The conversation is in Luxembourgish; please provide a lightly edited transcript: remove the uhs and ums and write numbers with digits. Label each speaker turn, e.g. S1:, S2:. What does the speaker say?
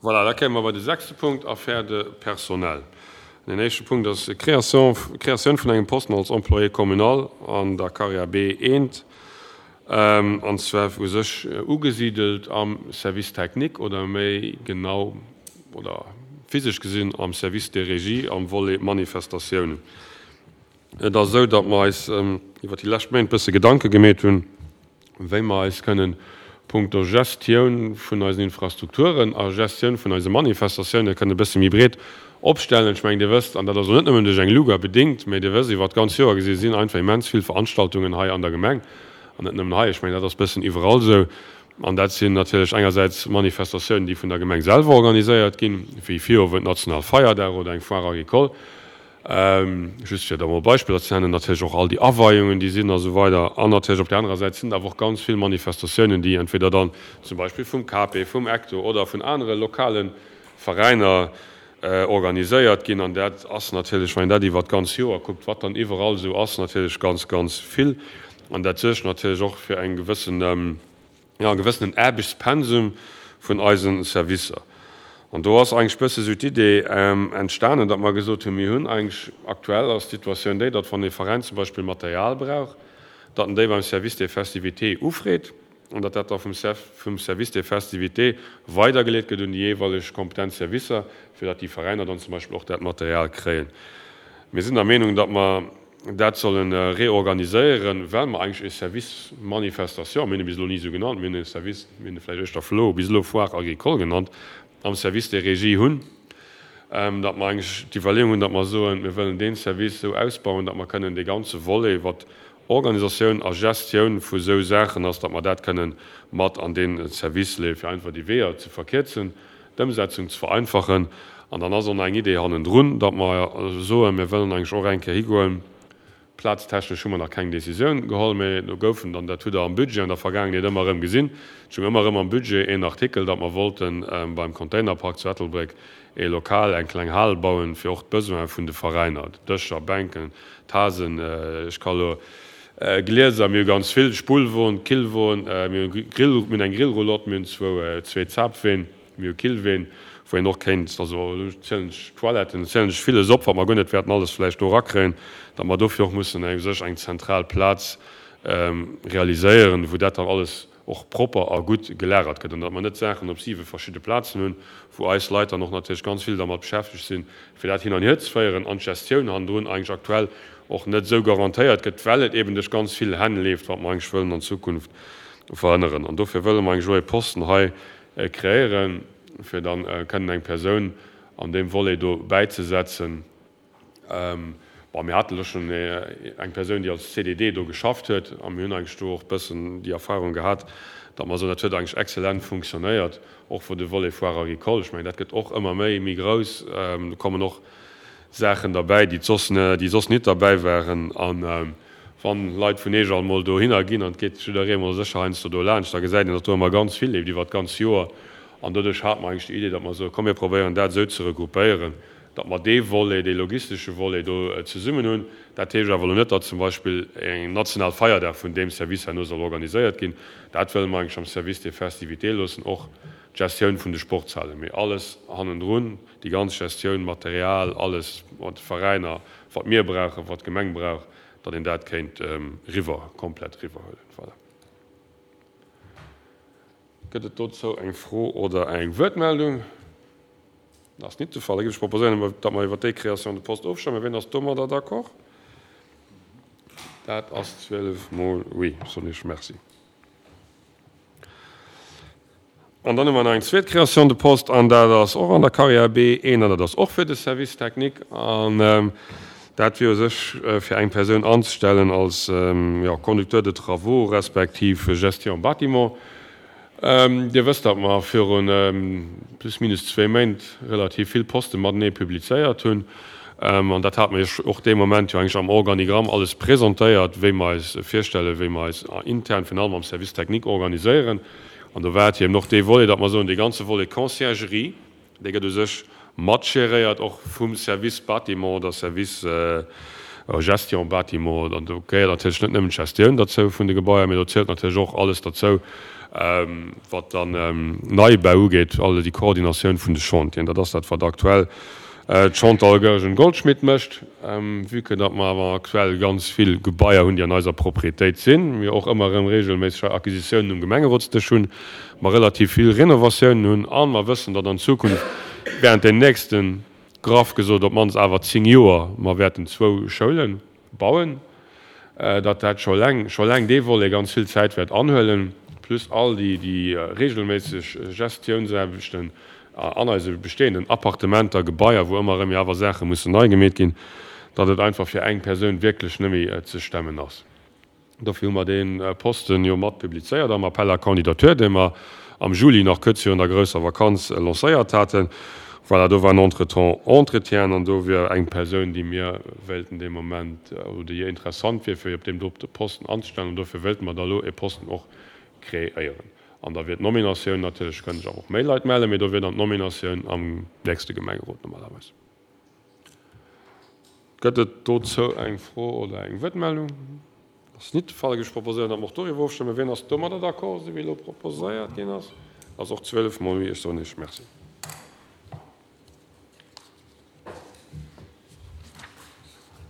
S1: Voilà, da kéime mer bei de sechste Punkt, Affaires de personnel. An deen éischte Punkt ass d'Création, d'Créatioun vun engem Posten als Employé communal an der Carrière B1, an zwar u sech ugesidelt am Service technique oder méi genau oder physesch gesinn am Service de régie am Volet Manifestatiounen. Et ass esou, datt mer eis iwwer déi lescht Méint bësse Gedanke gemeet hunn, wéi mer eis kënnen punkto Gestioun vun eisen Infrastrukturen a Gestioun vun eise Manifestatioune kënnen e bësse méi breet opstellen. Ech mengen, Dir wësst, an dat ass elo net nëmmen duerch eng Luga bedéngt, mä Dir wësst, iwwer d'ganz Joer gesi sinn einfach immens vill Veranstaltungen hei an der Gemeng, an net nëmmen hei, ech mengen, dat ass bëssen iwwerall esou. An dat sinn natierlech engersäits Manifestatiounen, déi vun der Gemeng selwer organiséiert ginn, wéi Virowend Nationalfeierdag oder eng Foire agricole, Just fir da mol Beispiller ze nennen, natierlech och all déi Aweiungen, déi sinn a sou weider. An natierlech op där anerer Säit sinn et awer och ganz vill Manifestatiounen, déi entweder dann zum Beispill vum KP, vum ECTO oder vun anere lokale Veräiner organiséiert ginn. An dat ass natierlech, wann een dat iwwert d'ganz Joer kuckt, wat dann iwwerall esou ass, natierlech ganz, ganz vill. An dat suergt natierlech och fir eng gewëssen, jo, e gewëssenen Aarbechtspensum vun eise Servicer. An do ass eigentlech bësse sou d'Idee entstanen, datt mer gesot hunn, mir hunn eigentlech, aktuell ass d'Situatioun déi, datt wann ee Veräin zum Beispill Material brauch, datt en déi beim Service des festivités ufreet an datt dat da vum vum Service des festivités weidergeleet gëtt un déi jeeweileg kompetent Servicer, fir datt déi Veräiner dann zum Beispill och dat Material kréien. Mir sinn der Meenung, datt mer dat solle reorganiséieren, well mer eigentlech e Service Manifestation, mir hunn e bis elo ni esou genannt, mir hunn e Service, mir hunn e vläicht éischter FLO, bis elo Foire agricole genannt, am Service des Régies hunn, datt mer eigentlech d'Iwwerleeung hunn, datt mer soen, mir wëllen dee Service esou ausbauen, datt mer kënnen dee ganze Volet, wat Organisatioun a Gestioun vu esou Saachen ass, datt mer dat kënnen mat an dee Service leeën, fir einfach déi Weeër ze verkierzen. d'Ëmsetzung ze vereinfachen. An dann ass och nach eng Idee hannendrun, datt mer soen, mir wëllen eigentlech och eng Kéier higoen, plaztechnesch hu mer nach keng Décisioun geholl, mä do goufen dann, dat hutt Der am Budget an der Vergaangenheet ëmmer erëm gesinn, et stoung ëmmer erëm am Budget een Artikel, datt mer wollte beim Containerpark zu Ettelbréck ee Lokal, eng kleng Hal bauen, fir och d'Besoine vun de Veräiner, Dëscher, Bänken, Tasen, ech ka lo Glieser, mir hu ganz vill, Spullwon, Killwon, mir hu Grill, mir hunn eng Grillroulotte, mir hunn zwou, zwee Zapween, mir hu Killween, wou een och kéint, also elo zielen ech Toiletten, elo zielen ech villes op, wat mer guer net wäerten alles vläicht do erakréien, datt mer dofir och mussen u sech eng zentral Plaz realiséieren, wou dat dann alles och propper a gutt gelagert gëtt an datt mer net Saachen op siwe verschidde Plazen hunn, wou eis Leit dann och natierlech ganz vill dermat beschäftegt sinn, fir dat hin an hier ze féieren an d'Gestioun hannendrun eigentlech aktuell och net esou garantéiert gëtt, well et eben duerch ganz vill Hänn leeft, wat mer eigentlech wëllen an Zukunft verhënneren. An dofir wëlle mer eigentlech elo ee Posten hei kreéieren, fir dann kënnen eng Persoun an deem Volet do bäizesetzen. Bon, mir haten elo schonn eng Persoun, déi als CDD do geschafft huet, a mir hunn eigentlech do och e bëssen déi Erfahrung gehat, datt mer soen, dat huet eigentlech exzellent funktionéiert, och wou de Volet Foire agricole, ech mengen, dat gëtt och ëmmer méi, méi grouss, do kommen och Saachen derbäi, déi soss, déi soss nit derbäi waren. A wann Leit vun Eech alt mol dohinner ginn, an et geet jidderee mol sécher heiansdo do laanscht, da gesäit een, datt do ëmmer ganz vill leeft iwwert d'ganz Joer. An doduerch hate mer eigentlech déi Idee, datt mer soen, komm mir probéieren dat esou ze regroupéieren, datt mer dee Volet, dee logistesche Volet do zesummen hunn. Dat heescht awer elo net, datt zum Beispill en national Feierdag vun deem Service herno soll organiséiert ginn. Dat wëlle mer eigentlech am Service des festivités loossen, och d'Gestioun vun de Sportshalen. Mee alles hannendrun, déi ganz Gestioun, Material, alles mat de Veräiner, wat mir brauchen, wat d'Gemeng brauch, datt een dat kéint riwwer, komplett riwwerhuelen. Voilà. Gëtt et dozou eng Fro oder eng Wuertmeldung? Dat ass nit de Fall. Da géif ech proposéieren, datt mer iwwert déi Création de poste ofstëmmen. Wien ass domadder d'accord? Dat ass 12 mol oui. Soen ech Merci. An dann hu mer nach eng zweet Création de poste, an dat ass och an der Carrière B1, an dat ass och fir de Service technique. An dat wier u sech fir eng Persoun anzestellen als, jo, Conducteur de travaux respektiv Gestion bâtiment. Dir wësst, datt mer viru plus minus zwéi Méint relativ vill Poste matenee publizéiert hunn. An dat hate mer Iech och dee Moment jo eigentlech am Organigramm alles presentéiert, wéi mer eis virstellen, wéi mer eis intern, virun allem am Service technique, organiséieren. An do war et jo eben och dee Volet, datt mer soen, dee ganze Volet Conciergerie, Dee gëtt u sech mat geréiert och vum Service Bâtiment oder Service Gestion Bâtiment. An do gehéiert natierlech net nëmmen d'Gestioun derzou vun de Gebaier, mee do zielt natierlech och alles derzou. Wat dann Neibau ugeet, all déi Koordinatioun vun de Chantieren, dat ass dat, wat aktuell d'Chantal Goergen-Goldschmidt mécht. Vue que datt mer awer aktuell ganz vill Gebaier hunn, déi an eiser Propriétéit sinn, mir och ëmmer erëm regelméisseg hei Acquisitiounen um Gemengerotsdësch hunn, mer relativ vill Renovatiounen hunn a mer wëssen, datt an Zukunft während den nächsten, graff gesot, op d'mannst awer 10 Joer mer wäerten zwou Schoule bauen, datt dat scho eleng, scho eleng dee Volet ganz vill Zäit wäert anhuelen, plus all déi, déi regelméisseg Gestiounsaarbechten an eise bestehenden Appartementer, Gebaier, wou ëmmer erëm jo awer Saache mussen nei gemeet ginn, datt et einfach fir eng Persoun wierklech net méi ze stemmen ass. Dofir hu mer dee Posten jo mat publizéiert am Appel à candidatures, dee mer am Juli nach kuerz virun der grousser Vakanz lancéiert haten. Voilà, do waren entretemps Entretienen an do wier eng Persoun, déi mir wéilten dee Moment, oder déi interessant wier, fir op deem dote Posten anzestellen. An dofir wéilte mer da elo e Posten och kreéieren. An da wier d'Nominatioun natierlech, kënnen sech awer och méi Leit mellen, mee do wier dann d'Nominatioun am nächste Gemengerot normalerweis. Gëtt et dozou eng Fro oder eng Wuertmeldung? Ass nit de Fall. Ech proposéieren, datt mer och doriwwer ofstëmmen. Wien ass domadder d'accord, esou wéi elo proposéiert ginn ass? Ass och 12 mol oui. Ech soen Iech Merci.